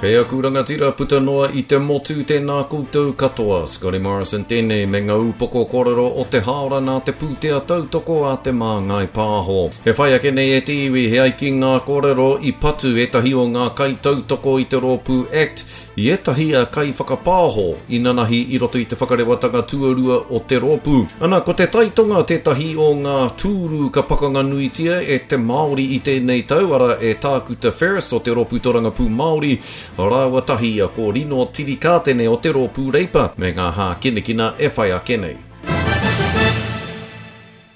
Kei aku rangatira puta noa i te motu tēnā koutou katoa. Scotty Morrison tēnei me ngā upoko kōrero o te hāora nā te pūtea tautoko a Te Māngai Pāho. E whai ake nei e te iwi he ai ki ngā kōrero i patu ētahi o ngā kaitautoko i te rōpū act i ētahi kaiwhakapāho inanahi i roto i te whakarewatanga tuarua o te rōpū. Ana, ko te taitonga tētahi o ngā tūru ka pakanga nuitia e te Māori i tēnei tau, arā, e Tākuta Ferris o te Rōpū Torangapū Māori, rāua tahi ko Rino Tirikātene o te Rōpū Reipa, me ngā hākinakina e whai ake nei.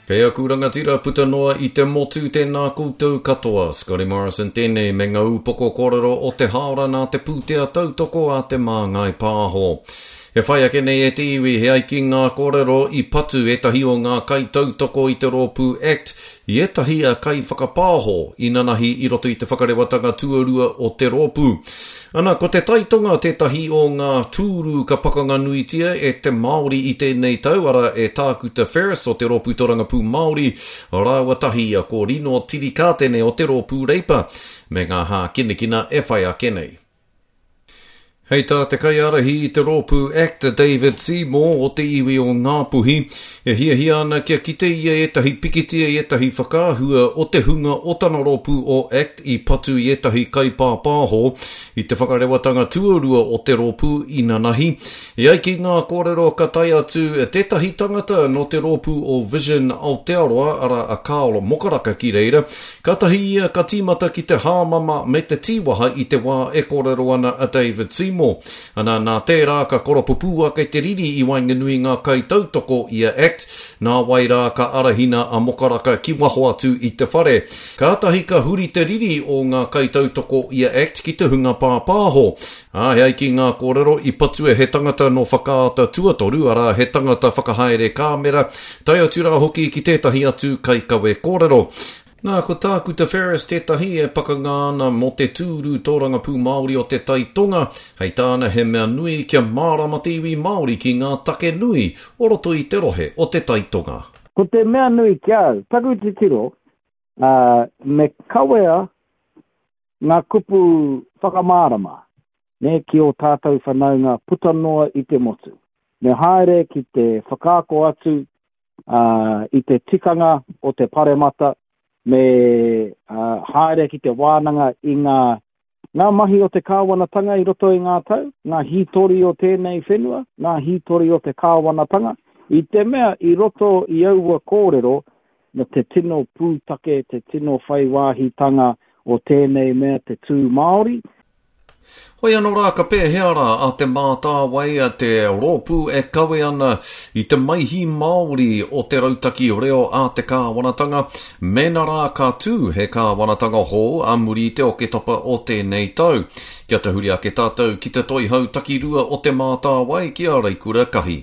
Kei aku rangatira puta noa i te motu tēnā koutou katoa. Scotty Morrison tēnei me ngā upoko kōrero o te hāora nā te pūtea tautoko a Te Māngai Pāho. E whai ake nei e te iwi he ai ki ngā kōrero i patu ētahi o ngā kaitautoko i te rōpū act i ētahi kaiwhakapāho inanahi i roto i te whakarewatanga tuarua o te rōpū. Ana, ko te taitonga tētahi o ngā tūru ka pakanga nuitia e te Māori i tēnei tau, arā, e Tākuta Ferris o te Rōpū Torangapū Māori, rāua tahi ko Rino Tirikātene o te Rōpū Reipa, me ngā hākinakina e whai ake nei. Hei tā te kaiārahi i te rōpū act a David Seymour o te iwi o Ngāpuhi, e hiahia ana kia kite ia ētahi pikitia i ētahi whakaahua o te hunga o tana rōpū o act i patu i ētahi kaipāpāho i te whakarewatanga tuarua o te rōpū inanahi. E ai ki ngā kōrero ka tae atu tētahi tangata nō te rōpū o Vision Aotearoa, arā a Carl Mokaraka ki reira, Kātahi ia ka tīmata ki te hāmama me te tīwaha i te wā e kōrero ana a David Seymour. Ana, nā tērā ka koropupū ake te riri i waenganui ngā kaitautoko i a act, nāwai rā ka arahina a Mokaraka ki waho atu i te whare. Kātahi ka huri te riri o ngā kaitautoko i a act ki te hunga pāpāho. Ā, e ai ki ngā kōrero, i patua he tangata nō Whakaata Tuatoru, arā, he tangata whakahaere kāmera, tae atu rā hoki ki tētahi atu kaikawe kōrero. Nā, ko Tākuta Ferris tētahi e pakanga ana mō te tūru tōrangapū Māori o Te Tai Tonga, hei tāna he mea nui kia mārama te iwi Māori ki ngā take nui o roto i te rohe o Te Tai Tonga. Ko te mea nui ki a au, taku titiro, ā, me kawea ngā kupu whakamārama, nē, ki ō tātou whanaunga puta noa i te motu. Me haere ki te whakaako atu ā, i te tikanga o te paremata, me ā, haere ki te wānanga i ngā, ngā mahi o te kāwanatanga i roto i ngā tau, ngā hītori o tēnei whenua, ngā hītori o te kāwanatanga, i te mea i roto i aua kōrero, me te tino pūtake, te tino whai wāhitanga o tēnei mea te tū Māori. Hoi anō rā, ka pēhea rā a Te Mātāwai, te rōpū e kawe ana i te maihi Māori o te rautaki reo a te kāwanatanga, mēnā rā ka tū he kāwanatanga hou a muri i te Oketopa o tēnei tau. Kia tahuri ake tātou ki te toihau takirua o Te Mātāwai ki a Reikura Kahi.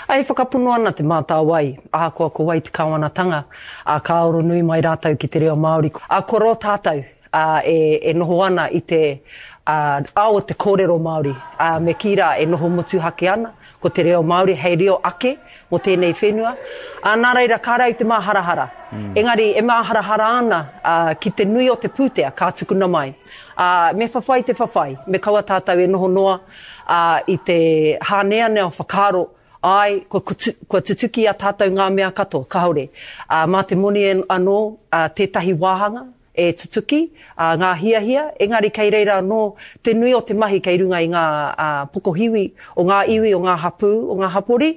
E whakapono ana Te Mātāwai, ahakoa ko wai te kāwanatanga, ā, ka aro nui mai rātou ki te reo Māori. Ā, kua roa tātou, ā, e, e noho ana i te, ā, ao o te kōrero Māori, ā, me kī rā e noho motuhake ana, ko te reo Māori hei reo ake mō tēnei whenua. Ā, nā reira, kāre au te māharahara. Engari, e māharahara ana, ā, ki te nui o te pūtea ka tukuna mai. Ā, me whawhai te whawhai, me kaua tātou e noho noa, ā, i te hāneanea whakaaro, āe, kua, kua tutuki i a tātou ngā mea katoa, kāore. Ā, mā te moni anō, ā, tētahi wāhanga e tutuki, ā, ngā hiahia, engari kei reira anō te nui o te mahi kei runga i ngā, ā, pokohiwi o ngā iwi, o ngā hapū, o ngā hapori.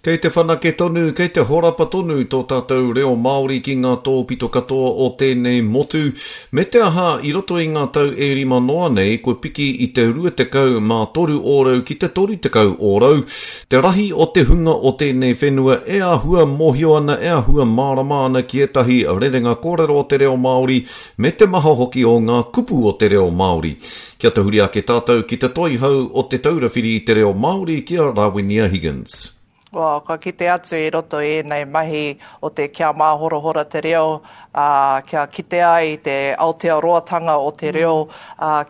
Kei te whanake tonu, kei te horapa tonu tō tātou reo Māori ki ngā tōpito katoa o tēnei motu. Me te aha, i roto i ngā tau e rima noa nei, kua piki i te 23 ōrau ki te 30 ōrau te rahi o te hunga o tēnei whenua e āhua mōhio ana, e āhua mārama ana ki ētahi rerenga kōrero o te reo Māori me te maha hoki o ngā kupu o te reo Māori. Kia tahuri ake tātou ki te toihau o Te Taura Whiri i te Reo Māori ki a Rawinia Higgins. Well, kua kite atu i roto i ēnei mahi o te kia māhorahora te reo, ā, kia kitea ai te Aotearoatanga o te reo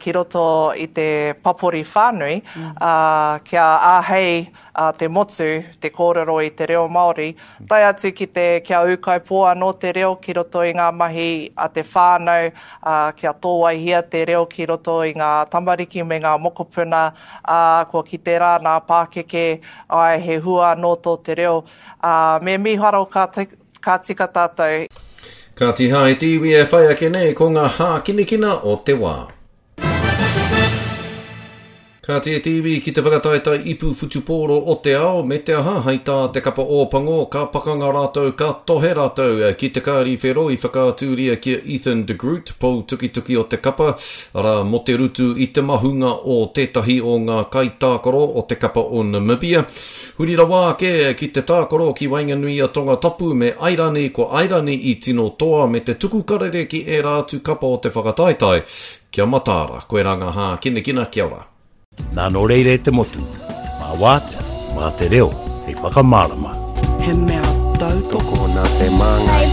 ki roto i te papori whānui, ā, kia āhei te motu te kōrero i te reo Māori, tae atu ki te kia ūkaipō anō te reo ki roto i ngā mahi a te whānau, ā, kia tōwaihia te reo ki roto i ngā tamariki me ngā mokopuna, ā, kua kite rā nā pākeke, āe, he hua anō tō te reo, ā, me mīharo ka, ka tika tātou. Kāti hā e te iwi e whai ake nei ko ngā hākinakina o te wā. Kāti e te iwi ki te whakataetae ipu whutupōro o te ao, me te aha, hai tā te kapa Ōpango, ka pakanga rātou, ka tohe rātou ki te kāri whero i whakaatūria ki a Ethan de Groot, pou tukituki o te kapa, arā, mō te rutu i te mahunga o tētahi o ngā kaitākaro o te kapa o Namibia. Huri rawa ake ki te tākaro ki waenganui i a Tongatapu me Airani, ko Airani i tino toa me te tuku karere ki ērā atu kapa o te whakataetae. Kia mataara, koirā ngā hākinakina, kia ora. Nā nō reira e te motu, mā wātea, mā te reo hei whakamārama. He mea tautoko nā Te Māngai.